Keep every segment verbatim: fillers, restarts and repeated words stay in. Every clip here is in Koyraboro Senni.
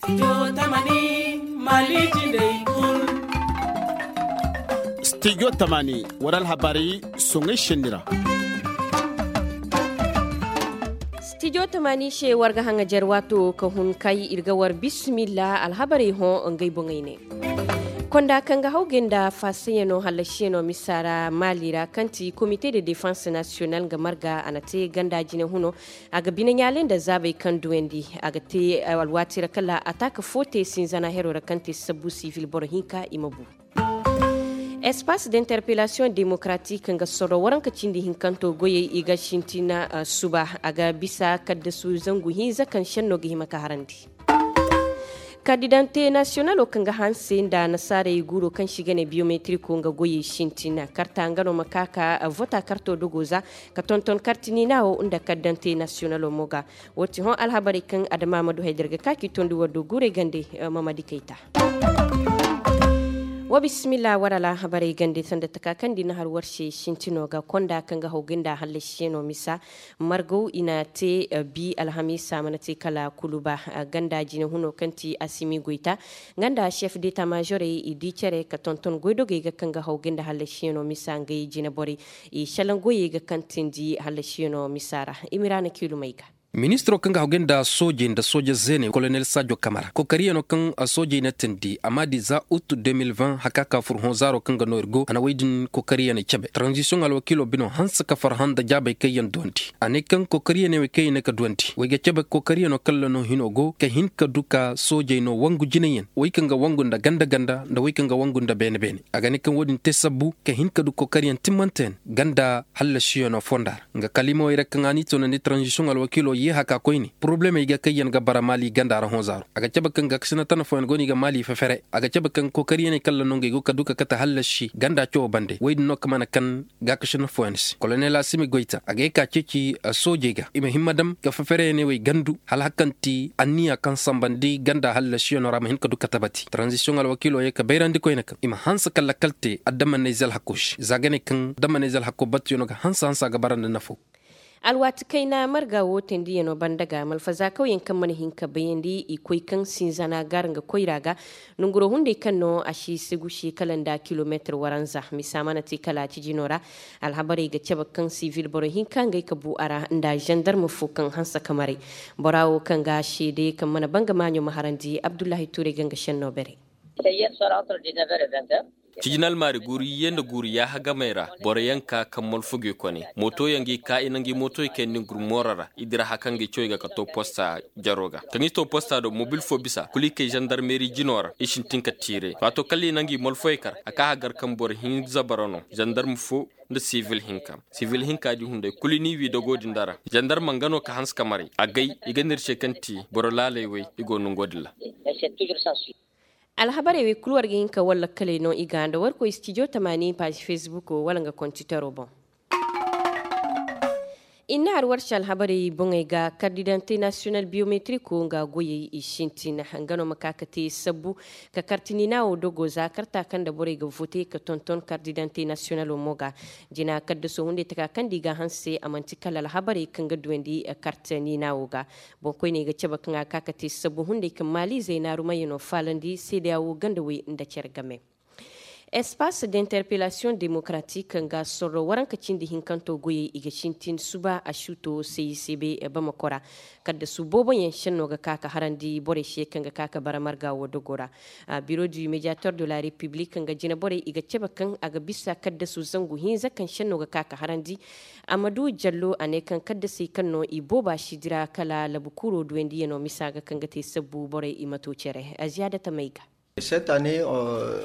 Stijo tamani war alhabarey soŋey senni ra. Stijo tamani se war ga haŋajer waato ka hun kay ir ga war bismillah alhabarey hõ ngey boŋey ne. Konda kaŋ ga hawgay nda faasayano hallasiyano misa ra maali ra kaŋ ti komite de defense nasiyonal nga marga a na te ganda jine huno. A ga bine ɲaalay nda zaabey kaŋ duwandi a ga te alwaati ra kala ataaka fo te sinzana hero ra kaŋ te sabbu sivil boro hinka i ma bu. Espace d'interpellation démocratique nga sorro waranka cindi hinkanto goyey i ga sintina suba a ga bisa kaddasu zangu hinza kaŋ senno ga hima ka harandi. Kardidante nasiyonalo kaŋ ga hanse nda nasaarey guuro kaŋ se i ga ne biyometiriko nga goyey sintina karta nga no ma ka ka vota karto dogo za ka tonton karti niina wo nda kardidante nasiyonalo mo ga. Wo ti hõ alhabarey kaŋ adama ma du hay da ir ga ka k'i tondi war do guurey gande. Mamadi kayta. Wa bisimilla war alhabarey gande sanda taka kaŋ di na har war se sintino ga konda kaŋ ga haw ga nda hallasiyaŋo misa. Margaw i na te bi alhamiisa mana te kala kuluba. Ganda jine huno kaŋ ti asimi goyta nga nda chef deta majorey i di cere ka tonton goydogey ga kaŋ ga haw ga nda hallasiyaŋo misa ngey jine borey. I salaŋ goyey ga kaŋ tindi hallasiyaŋo misa ra. Imira na kiilumey ga. Ministiro kaŋ ga haw ga nda soojey nda sooje zeeney kolonel saajo kamara kookariyanoo kaŋ soojey na tindi a m'a di za ut de mil vingt haka ka fur hõ zaaro kaŋ ga no ir go a na wey din kookariyaney cabe taranzisiyoŋ alwakiiloo binoo hanse ka farhã nda jaabey kaŋ yaŋ duwandi. A ne kaŋ kookariyaney wey kaŋ i ne ka duwandi wey ga cabe kookariyanoo kaŋ ra no hinoo go ka hin ka du ka soojey no wangu jinayaŋ wey kaŋ ga wangu nda ganda ganda nda wey kaŋ ga wangu nda beene beene. A ga ne kaŋ wo-din te sabbu ka hin ka du kookariyaŋ timmanteyaŋ ganda hallasiyanoo fonda ra. Nga kaliimawey ra kaŋ a n'i toonandi taranzisiyoŋ alwakiiloo yee haka koyne porobulemey ga kaŋ yaŋ ga bara maali ganda ra hõ zaaro a ga cabe kaŋ gaakasina tana fooyaŋ go no i ga maali fefere a ga cabe kaŋ kookariyaney kaŋ ra no ngey go ka du ka kate hallasi ganda cawoo bande woy din no ka mana kaŋ gaakasina fooyaŋ se kolonel asimi goyta a ga ye ka ceeci soojey ga i ma himma dam ka fefereyaney wey gandu hala hari kaŋ ti anniya kaŋ sambandi ganda hallasiyanoo ra ma hin ka du ka tabati taranzisiyoŋ alwakiiloo yee ka bayrandi koyne kaŋ i ma hanse ka lakkal te adamanney zalhakoo se za ga ne kaŋ adamanney zalhakoo battuyanoo ga hanse hanse a ga bara nda nafoo. Alwaati kayna marga wo tendiyanoo banda ga malfazaakawyaŋ kaŋ mana hin ka bayandi i koy kaŋ sinzana gaara nga koyra ga. Nonguroo hunday kaŋ no a si segu se kala nda kilomeetir waranza misa mana te kala cijinoo ra. Alhabarey ga cabe kaŋ sivil boro hinka ngey ka bu a ra nda zandarm fo kaŋ hanse ka maray. Bora wo kaŋ ga seede kaŋ mana banga maaɲo ma harandi abdullahi tuuray ga nga senno bare. Cijin almaari guuri iyye nda guuri yaaha gamey ra boroyaŋ ka kaŋ malfo ga i kone mootoyaŋ ga i ka i na ngi mootoy kayandi ngur mooro ra i dira haka ngi cawey ga ka to posta jaroo ga kaŋ i to posta do mobil fo bisa kulu i kay zandarmeeri jinoo ra i sintin ka tiire waato kala i na ngi malfoy kar a ka hagar kaŋ boro hinza bara no zandarm fo nda sivil hinka sivil hinka di hunday kulu i n'i wi dogoo din dara zandarm nga no ka hanse ka maray agay i ga nda ir se kaŋ ti boro laaley wey i go nongoo din ra. Alhabarey wey kulu war ga hin ka war lakkaley no i ga nda war koy stijo tamaani paazi fesbukoo wala nga kontiteroo boŋ. I na har war se alhabarey boŋey ga kardidante nasiyonal biyometirikoo nga goyey i sintin nga no ma ka ka te sabbu ka karti niina wo dogo za karta kaŋ nda borey ga vote ka tonton kardidante nasiyonaloo mo ga. Jina kaddasoo hunday taka kaŋ nda i ga a hanse a man'ti kala alhabarey kaŋ ga duwandi karti niina wo ga. Boŋkoyney ga cabe kaŋ a ga ka ka te sabbu hunday kaŋ maaliizey naarumayyanoo faalandi seedeya wo ganda wey nda cere game. Espace d'interpellation démocratique nga sorro waranka cindi hinkanto goyey i ga sintin suba a suuto cicb bamako ra. Kaddasu booboyaŋ senno ga ka ka harandi borey se kaŋ ga ka ka bara marga wo dogo ra. Biro du médiateur de la république nga jina borey i ga cabe kaŋ a ga bisa kaddasu zangu hinza kaŋ senno ga ka ka harandi. Amadu jallo a ne kaŋ kaddasey kaŋ no i booba si dira kala labu kuuroo duwandiyanoo misa ga kaŋ ga te sabbu borey i ma to cere a ziyaada tamey ga.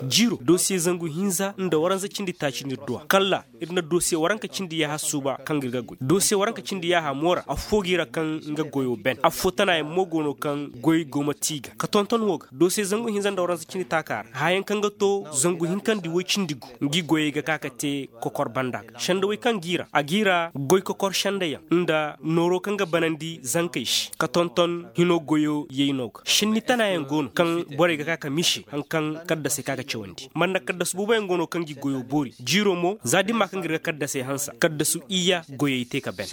Jiiro dosiye zangu hinza nda waranza cindi taaci no ir duw'a kalla ir na dosiye waranka cindi yaaha suuba kaŋ ga ir ga goy dosiye waranka cindi yaaha moora affoo g'i ra kaŋ nga goyoo ben affoo tanaayaŋ mo go no kaŋ goy go ma te i ga ka tonton woo ga dosiye zangu hinza nda waranza cindi taakaa ra haayaŋ kaŋ ga to zangu hinkandi woy cindi gu ngi goyey ga ka ka te kokor banda ga sendawey kaŋ g'i ra a g'i ra goy kokor sendayaŋ nda nooroo kaŋ ga banandi zankey se ka tonton hinoo goyoo yaynoo ga senni tanaayaŋ go no kaŋ borey ga ka ka mise hari kaŋ kaddasey ka ga cawandi man na kaddasu booboyaŋ go no kaŋ g'i goyoo boori jiiroo mo za dimma kaŋ ga ir ga kaddasey hanse kaddasu iyya goyey te ka ben.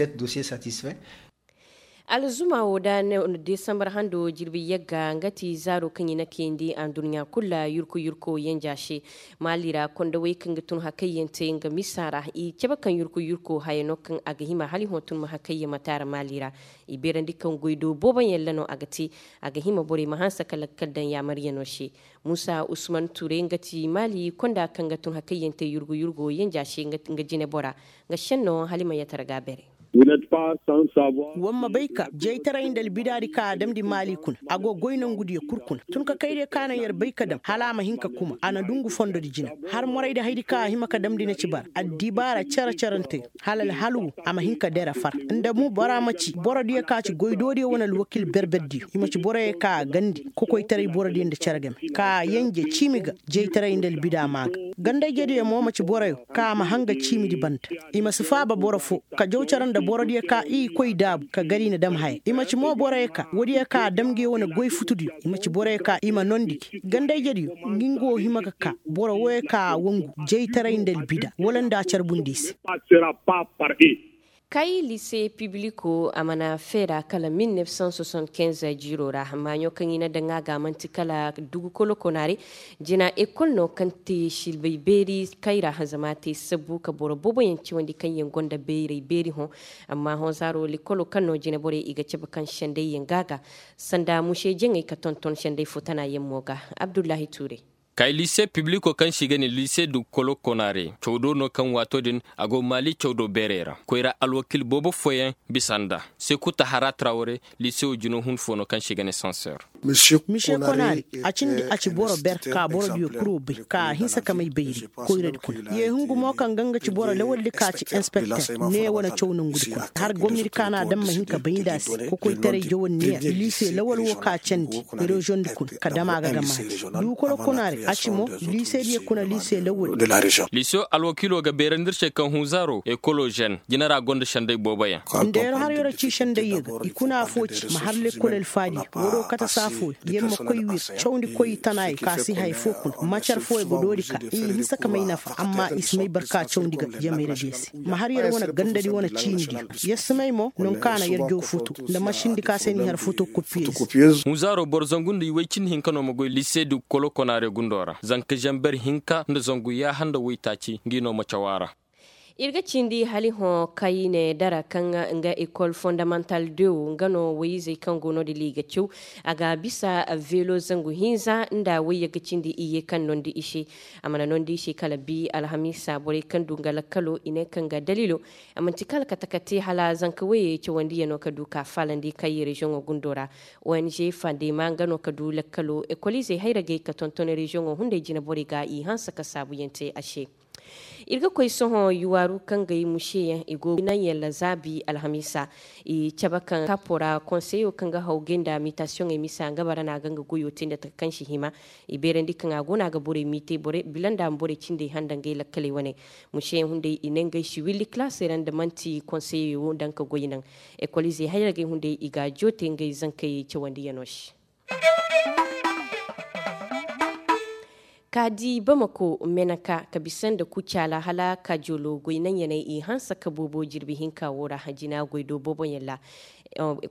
Alzuma wo da desambar hando jirbi yagga nga ti zaaro kaŋ i na kayandi adduɲɲa kulu ra yurku yurku yanja se. Maali ra kondawey kaŋ ga tun hakayyaŋ te nga misa ra i cabe kaŋ yurku yurku haya no kaŋ a ga hima hala i hõ tun ma hakayyaŋ ma taara maali ra. I beerandi kaŋ goy do booboyaŋ ra no a ga te. A ga hima borey ma hanse ka lakkal daŋ yaamaryaŋo se. Muusa usman ture nga ti maali konda kaŋ ga tun hakayyaŋ te yurgu yurgu yanja se nga jine bora. Nga senno hala i ma yatara ga bere. Wa ma bay ka jaytaray nda albidaadi ka a damndi maali kuna a go goy nongudiyo kul kuna tun ka kaydiyo ka naŋ yer bay ka dam hala a ma hin ka kuma a na dungu fondodi jina. Har moraydi haydi ka a hima ka damndi na ci bara addibaara cere-cerentey hala alhal wo a ma hin ka dere far. Nda mo bora ma ci borodiyo ka ci goydoodiyo wane alwakil berberdiyo i ma ci boroyo ka a gandi kokoytaray borodiyo nda cere game ka a yanje ciimi ga jaytaray nda albida maa ga. Gandayjediyo mo ma ci boroyo ka a ma hanga ciimidi banda. I ma si faaba boro fo ka jaw cere nda borodiyo ka i koy daabu ka gar i na dam haya i ma ci mo boroyo ka woodiyo ka a dam ngi wane goy futudiyo i ma ci boroyo ka i ma nondi gi gandayjediyo. Ngi nga wo hima ga ka boro woyo ka a wangu jaytaray nda albida wala nda a carbundi se. Kay lise pibliko a mana feera kala mil nef san soixante-quinze jiiro ra maaɲo kaŋ i na daŋ a ga manti kala dugu kolo konaare. Jina ekol no kaŋ te silbay beeri kayra zama te sabbu ka boro booboyaŋ cawandi kaŋ yaŋ gonda bayray beeri hõ. Amma hõ zaaro likolo kaŋ no jina borey i ga cabe kaŋ sendayyaŋ ga ga sanda muse jaŋay ka tonton senday fo tana yaŋ mo ga. Abdullahi tuure. Kay lise pibliko kaŋ se i ga ne lise du kolo konaare cawdo no kaŋ waato din a go maali cawdo beerey ra koyra alwakil boobo fooyaŋ bisa nda sekuta hara trawre lise wo jino hun fo no kaŋ se i ga ne sanseer. Mise konaare a cindi a ci boro ber ka boro diyo kuro bay ka a hinsa ka may bayri koyradi kuna ye hungu mo kaŋ ga nga ci boro lawaldi ka ci inspekter ne wane caw nangudi kuna har gomnadi ka na a daŋ ma hin ka bay nda a se kokoytaray jawandi ne ya lise lawal wo ka candi reziyoŋ di kuna ka dama ga ga maati. Dukolo kuna ra a ci mo lise diyo kuna lise lawal. Liso alwakiilo ga beerandi ir se kaŋ hunzaaro ekolo zen jina ra gonda senday booboyaŋ. Nda yer har yer ci senday ye ga i kuna afo ci ma har lekkol alfaadi waro kata saafo yer ma koy wir cawndi koy i tana ye ka si haya fo kuna macar fo ye ga doori ka i hinsa ka may nafa amma i si may barka cawndi ga jamayra diyo se. Ma har yer wane gandadi wane ciini diyo yer si may mo non ka na yer jaw futu nda masindi ka se ni har futu kupiyeez. Hunzaaro boro zangu nda i way cindi hinka no ma goy lise du kolo konaare gundo ra zanka zamber hinka nda zangu yaaha nda waytaaci ngi no ma caw a ra. Ir ga cindi hala i hõ kayne dara kaŋ nga ekol fondamantal dew nga no woyizey kaŋ go no-din i ga caw. A ga bisa velo zangu hinza nda woyye ga cindi iyye kaŋ nondi i se. A mana nondi i se kala bi alhamiisa borey kaŋ du nga lakkalo i ne kaŋ ga daliilo a manti kala kate-kate hala zanka woyey cawandiyano ka du ka faalandi kay reziyoŋo gundo ra. Ong fandema nga no ka du lakkalo ekoliizey hayragey ka tonton reziyoŋo hunday jine borey ga i hanse ka saabuyaŋ te a se. Ir ga koy sohõ yuwaaru kaŋ ga i museyaŋ i go naŋ yalla zaabi alhamiisa. I cabe kaŋ kapo ra konseyo kaŋ ga haw gay nda mitasiyoŋey misa nga bara no a ga nga goyo te nda taka kaŋ si hima. I beerandi kaŋ a go no a ga borey miite bila nda a ma borey cindey handa ngey lakkaley wane. Museyaŋ hunday i ne ngey si willi kalaasey ra nda man'ti konseyo daŋ ka goy naŋ. Ekoliizey hayragey hunday i ga a joote ngey zankey cawandiyano se. Ka di bamako meneka ka bisa nda kucaala hala kajolo goy naŋyaney i hanse ka boobo jirbi hinka wo ra jina goy do booboyaŋ ra.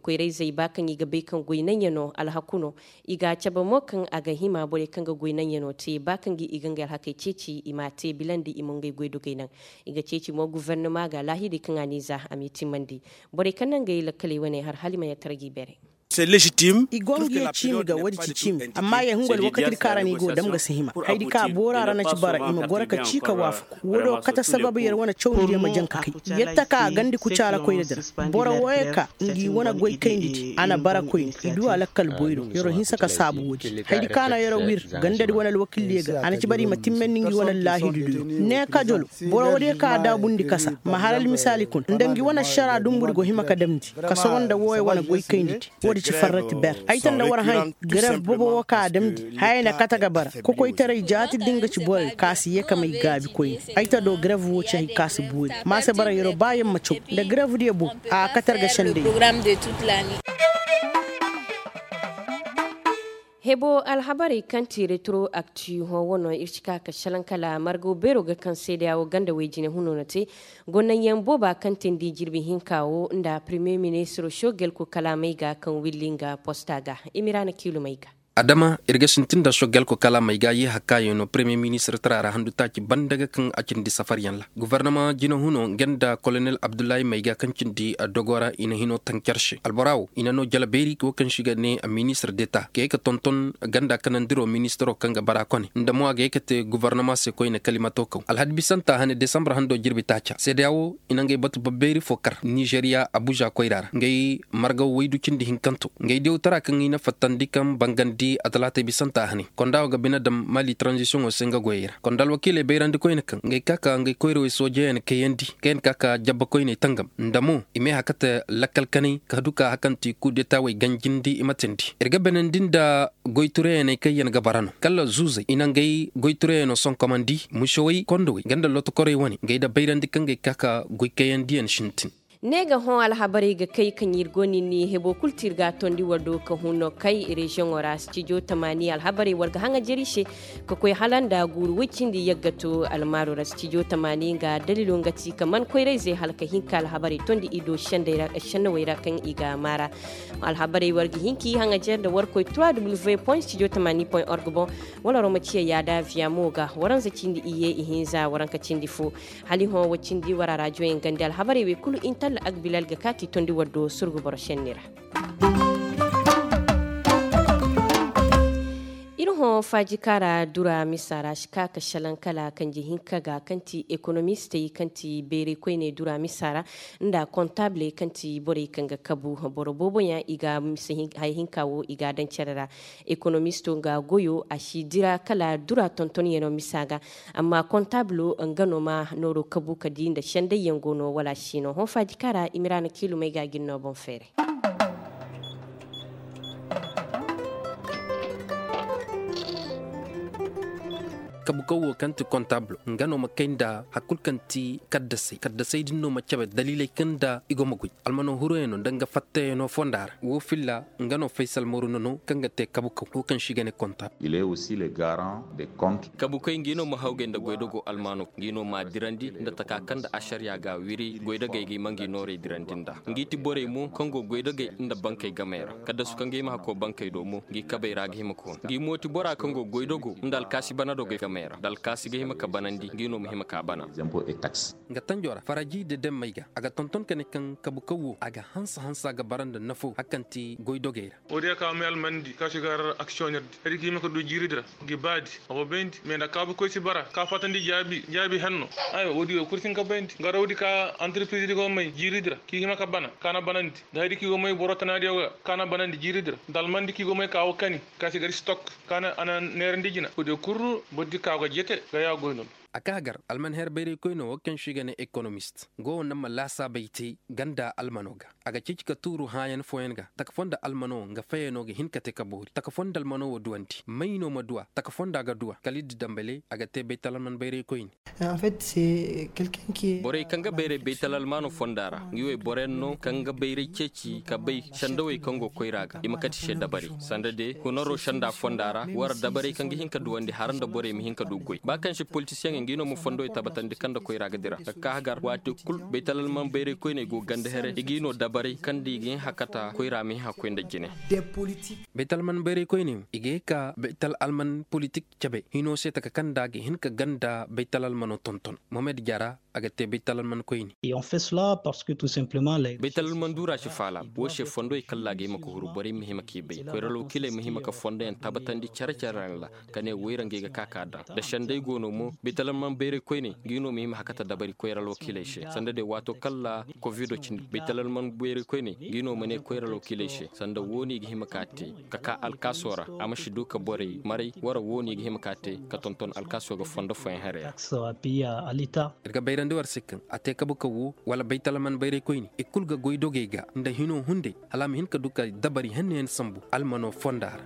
Koyrayzey ba kaŋ i ga bay kaŋ goy naŋyano alhaku no. I ga a cabe mo kaŋ a ga hima borey kaŋ ga goy naŋyano te ba kaŋ ga i ga ngey alhakey ceeci i m'a te bilandi i ma ngey goydogey naŋ. I ga ceeci mo gufernama ga laahidey kaŋ a n'i za a m'i timmandi. Borey kaŋ naŋ ga i lakkaley wane har hala i ma yatara g'i bere. I go ngi ye ciimi ga woodi ci ciimi amma ye hungu alwakati di kaŋ ra no i go dam ga si hima haydi kaŋ a boora ra na ci bara i ma goro ka cii ka waafaku. Woodi wo kate sababu yer wane cawndi diyo ma jaŋ ka kay. Yer taka gandi kucaala koyra di ra. Boro wooyo ka ngi wane goy kayndi di a na bara koyni i du a lakkal boyro yer wo hinsa ka saabu woodi. Haydi kaŋ a na yer wo wir ganda di wane alwakil diyo ga a na ci bara i ma timmandi ngi wane allaahidu diyo. Ne kajolo boro woodiyo kaŋ a daabundi kasa ma har almisaali kuna nda ngi wane ašara dumbu di go hima ka damndi ka sogo nda wooyo wane goy kayndi di. Woodi ci farrati ber ay ta nda war hãy. Gref bobo wo ka a damndi haya na kate ga bara kokoytaray jaati din ga ci borey ka si ye ka may gaabi koyne. Ay ta do gref wo ci hay ka si boori. Ma se bara yero ba yer ma caw nda gref diyo bobo a kate ar ga senday. Hebo alhabarey kaŋ ti retro akti hõ wano ir si ka ka salaŋ kala margaw beero ga kaŋ seedeya wo ganda way jine huno na te. Gonanyaŋ booba kaŋ tindi jirbi hinka wo nda premier ministro shogel ko kalaamey ga kaŋ willi nga posta ga. Imira na kiilumey ga. Adama ir ga sintin nda shogel ko kalaamey ga ye hakkayaŋ no premier ministro tara ra handu taaci banda ga kaŋ a cindi safaryaŋ ra. Gobornama jina huno nga nda kolonel abdullahi may ga kaŋ cindi dogo ra i na hino tancar se albora wo i na no jala beeri wo kaŋ se i ga ne ministir deta ga ye ka tonton ganda kanandiro ministiro kaŋ ga bara kone nda mo a ga ye ka te gobornama se koyne kalimato kaw alhadi bisanta hane desambur hando jirbi taaca seedeya wo i na ngey batu babbeeri fo kar nizeriya abuza koyra ra ngey margaw waydu cindi hinkanto ngey diyawtara kaŋ i na fattandi kaŋ bangandi a talaatay bisanta hane konda wo ga bine daŋ mali tranzisiyoŋo se nga goyey ra konda alwakiiley bayrandi koyne kaŋ ngey ka ka ngey koyrawey soojeyaŋ kayandi kaŋ yaŋ ka ka jabba koyney tangam nda mo i ma ay hakate lakkal kanay ka du ka hakanti kudetawey ganjindi i ma tindi ir ga benandi nda goy tureyaŋey kaŋ yaŋ ga bara no kala zuuzey i na ngey goy tureyaŋo sonkomandi musewey kondowey nga nda lotokorey wane ngey da bayrandi kaŋ gay ka ka goy kayandiyaŋ sintin. Ne ga hõ alhabarey ga kay kaŋ ir go nin ni hebo kul ti ir ga a tondi war do ka hun no kay reziyoŋo ra stijo tamaani alhabarey war ga haŋajer i se ka koy hala nda guuru woy cindi yagga to almaaro ra stijo tamaani nga dalilo nga ti ka man koyra-izey hala ka hin ka alhabarey tondi i do sendey ra sennawey ra kaŋ i ga a maara. Alhabarey war ga hin k'i haŋajer nda war koy trois w point stijo tamaani point org boŋ. Wala war ma ciya yaada viyamo ga waranza cindi iyye ihinza waranka cindi fo. Hala i hõ wa cindi war a rajoyaŋ gandi alhabarey wey kulu intalla agbilal ga ka k'i tondi war do surgu boro senni ra. Ir hõ faaji kaŋ ra dura misa ra si ka ka salaŋ kala kanji hinka ga kaŋ ti ekonomistey kaŋ ti bayray koyney dura misa ra nda kontabley kaŋ ti borey kaŋ ga kabu boro booboyaŋ i ga haya hinka wo i ga a daŋ care ra. Ekonomisto nga goyo a si dira kala dura tontonyaŋo misa ga. Amma kontablo nga no ma nooro kabu ka di nda sendayyaŋ go no wala a si no hõ faaji kaŋ ra i ma ra na kiilumey ga a ga ni no boŋ feeray. Kabukaw wo kaŋ ti kontablo nga no ma kay nda hari kulu kaŋ ti kaddasey kaddasey din no ma cabe daliiley kaŋ nda i go ma goy almano huruyaŋo nda nga fattayaŋo fonda ra wo filla nga no faysal mooru nono kaŋ ga te kabukaw wo kaŋ se i ga ne kontablo. Kabukoy ngi no ma hawgay nda goydogo almano ngi no ma dirandi nda taka kaŋ nda ašariya ga wiri goydogey ga i ma ngi noorey dirandi nda ngi ti borey mo kaŋ go goydogey nda bankey gamey ra kaddasu kaŋ ga hima ka koy bankey do mo ngi kabey ra ga hima ka hun ngi mo ti bora kaŋ go goydogo nda alkaasi bana dogey gamey ra nda alkaasi ga hima ka banandi ngi no ma hima ka bana. Nga tanjo ra faraji da demmey ga a ga tonton ka ne kaŋ kabu kaw wo a ga hansa hansa ga bara nda nafo hari kaŋ ti goydogey ra. Woodiyo ka may almandi ka si gar aksiyonir di hari ka hima ka du jiiri di ra. Ngi baadi a go bayndi mais nda kaabukoy si bara ka fatandi jaabi jaabi henno. Aywa woodiyo kul si hin ka bayndi garawdi ka antirpiriz di go may jiiri di ra ka i hima ka bana ka na banandi nda hari ka i go may boro tanaadiyo ga ka na banandi jiiri di ra nda almandi ka i go may ka wo kani ka si gar stok ka na a na neerandi jina woodiyo kul boro di ka go jete ga ya goy no. A ka gar alman her bayray koyno wo kaŋ se i ga ne ekonomist go wo naŋ ma laasaabey te ganda almano ga. A ga ceeci ka tuuru hãayan fooyaŋ ga taka foo nda almano wo nga fayano ga hin ka te ka boori taka foo nda almano wo duwandi may no ma duw'a taka foo nda a ga duw'a kala i di dambale a ga te baytal alman bayray koyne. Borey kaŋ ga bayray baytal almano fonda ra ngi wey boroyaŋ no kaŋ ga bayray ceeci ka bay sendawey kaŋ go koyra ga i ma kate se dabari sanda de hunaro senda fonda ra war dabarey kaŋ ga hin ka duwandi hara nda borey ma hin ka du goy ba kaŋ se politisiyeŋey ngi no ma fondowey tabatandi kaŋ nda koyra ga dira ka ka hagar waati kul baytal alman bayray koyney go ganda here i g'i no dabarey kaŋ nda i ga hin hakata koyra ma hin hakkoy nda jine. Baytal alman bayray koyney i ga ye ka baytal alman politik cabe hino se taka kaŋ nda a ga hin ka ganda baytal almano tonton mohamed jara a ga te baytal alman koyne. Baytal alman duura si faala wo se fondowey kalla ga hima ka huru borey ma hima k'i bay koyra alwakiiley ma hima ka fondoyaŋ tabatandi care care ra ka ne woyra ngey ga ka ka daŋ nda sendey go no mo baytal alman bayray koyne ngi no ma hima hakata dabari koyra alwakiiley se sanda de waato kalla kovido cindi baytal alman bayray koyne ngi no ma ne koyra alwakiiley se sanda wo no i ga hima ka te ka ka alkaaso ra a ma si du ka borey maray wara wo no i ga hima ka te ka tonton alkaaso ga fondo fooyaŋ haray ra. Ir ga bayrandi war se kaŋ a te kabu kaw wo wala baytal alman bayray koyne i kulu ga goy dogey ga nda hino hunday hala a ma hin ka du ka dabari hennayaŋ sambu almano fonda ra.